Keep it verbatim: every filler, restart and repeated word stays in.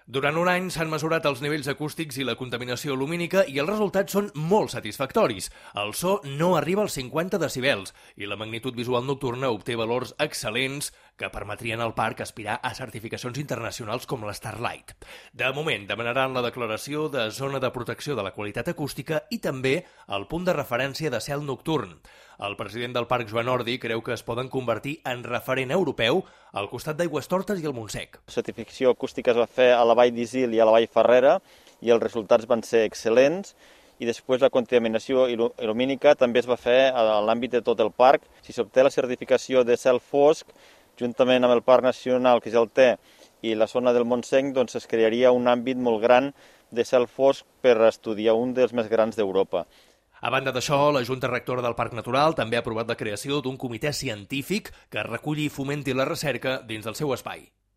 Durant un any s'han mesurat els nivells acústics i la contaminació lumínica i els resultats són molt satisfactoris. El so no arriba als cinquanta decibels i la magnitud visual nocturna obté valors excel·lents que permetrien al parc aspirar a certificacions internacionals com la Starlight. De moment, demanaran la declaració de zona de protecció de la qualitat acústica i també el punt de referència de cel nocturn. El president del parc, Joan Ordi, creu que es poden convertir en referent europeu al costat d'Aigüestortes i el Montsec. La certificació acústica es va fer a la Vall d'Isil i a la Vall Ferrera i els resultats van ser excel·lents, i després la contaminació lumínica també es va fer a l'àmbit de tot el parc. Si s'obté la certificació de cel fosc, juntament amb el Parc Nacional que ja el té i la zona del Montsec, doncs es crearia un àmbit molt gran de cel fosc per estudiar un dels més grans d'Europa. A banda d'això, la Junta Rectora del Parc Natural també ha aprovat la creació d'un comitè científic que reculli i fomenti la recerca dins del seu espai.